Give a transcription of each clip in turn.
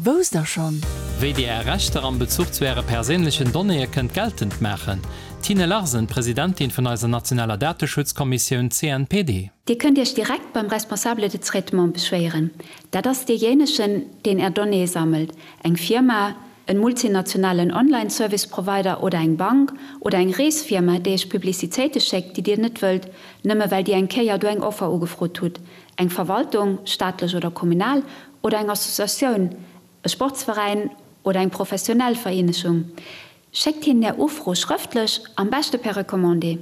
Wousst der schonn? Wéi Dir Är Rechter am Bezuch zu Äre perséinlechen Donnéeë kënnt geltend maachen. D'Tine Larsen, Presidentin vun eiser nationaler Dateschutzkommissioun CNPD. Dir kënnt Iech direkt beim Responsable de traitement beschwéieren. Dat ass deejéinegen, deen Är Donnéeë sammelt, eng Firma, en multinationalen Online-Service-Provider oder eng Bank oder eng Reesfirma, déi Iech Publicitéite schéckt, déi Dir net wëllt, nëmme well Dir eng Kéier do eng Offer ugefrot hutt, eng Verwaltung, staatlech oder kommunal, oder eng Associatioun, e Sportsveräin oder eng professionell Vereenegung. Schéckt hinnen Är Ufro schrëftlech, am beschte per Recommandé.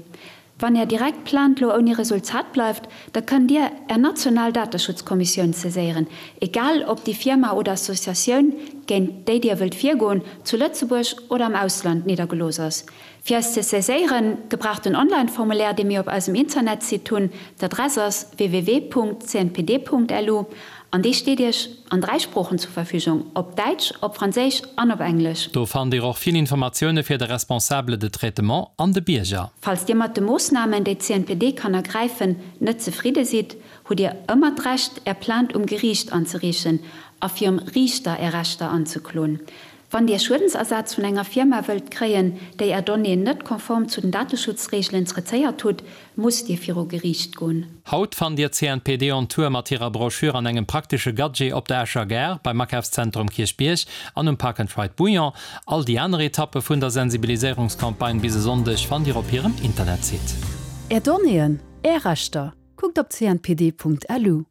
Wann Är direkt Plainte lo ouni Resultat bleift, da kënnt Dir Är national Dateschutzkommissioun saiséieren, egal ob déi Firma oder Associatioun, géint déi Dir wëllt virgoen, zu Lëtzebuerg oder am Ausland niddergelooss ass. Fir eis ze saiséieren, gebraucht den Online-Formulaire, dee mir op eisem Internetsite hunn. D'Adress ass www.cnpd.lu an dee steet Iech an 3 Sproochen zur Verfügung, op Däitsch, op Franséisch an op Englesch. Do fannt Dir och vill Informatioune fir de Responsable de traitement an de Bierger. Falls Dir mat de Moossnamen, déi d'CNPD kann ergräifen, net zefridde sidd, hutt Dir ëmmer d'Recht, Är Plainte um Geriicht anzereechen a virum Riichter Är Rechter anzekloen. Wann Dir Schuedensersaz vun enger Firma wëllt kréien, déi Är Donnéeën net konform zu den Dateschutzreegelen traitéiert hutt, musst Dir viru Geriicht goen. Haut fannt Dir d'CNPD on Tour mat hirer Broschür an engem praktesche Gadget op der Escher Gare, beim Akafszentrum Kierchbierg an um Park and Ride Bouillon. All déi aner Etappe vun der Sensibiliséierungscampagne bis e Sonndeg fannt Dir op hirem Internetsite. Är Donnéeën, Är Rechter, kuckt op cnpd.lu.